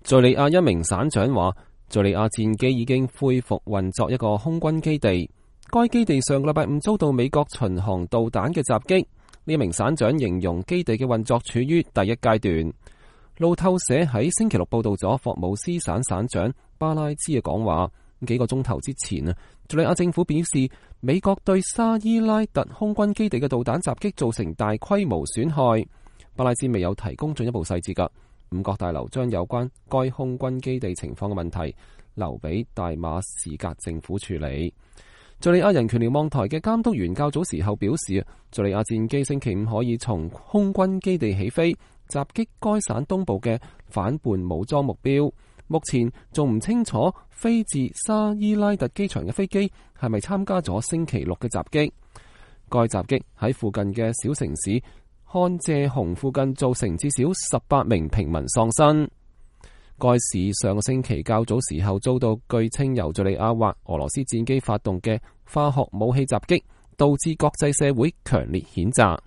敘利亞一名省長話，敘利亞戰機已經恢復運作一個空軍基地，該基地上個禮拜五遭到美國巡航導彈嘅襲擊。呢名省長形容基地嘅運作處於第一階段。路透社喺星期六報道咗霍姆斯省省長巴拉茲嘅講話。幾個鐘頭之前啊，敘利亞政府表示，美國對沙伊拉特空軍基地嘅導彈襲擊造成大規模損害。巴拉茲未有提供進一步細節㗎。五角大樓將有關該空軍基地情況嘅問題留俾大馬士革政府處理。敘利亞人權瞭望台嘅監督員較早時候表示，敘利亞戰機星期五可以從空軍基地起飛，襲擊該省東部嘅反叛武裝目標。目前仲唔清楚飛自沙伊拉特機場嘅飛機係咪參加咗星期六嘅襲擊。該襲擊喺附近嘅小城市漢謝洪附近造成至少18名平民喪生。該市上個星期較早時候遭到據稱由敘利亞或俄羅斯戰機發動嘅化學武器襲擊，導致國際社會強烈譴責。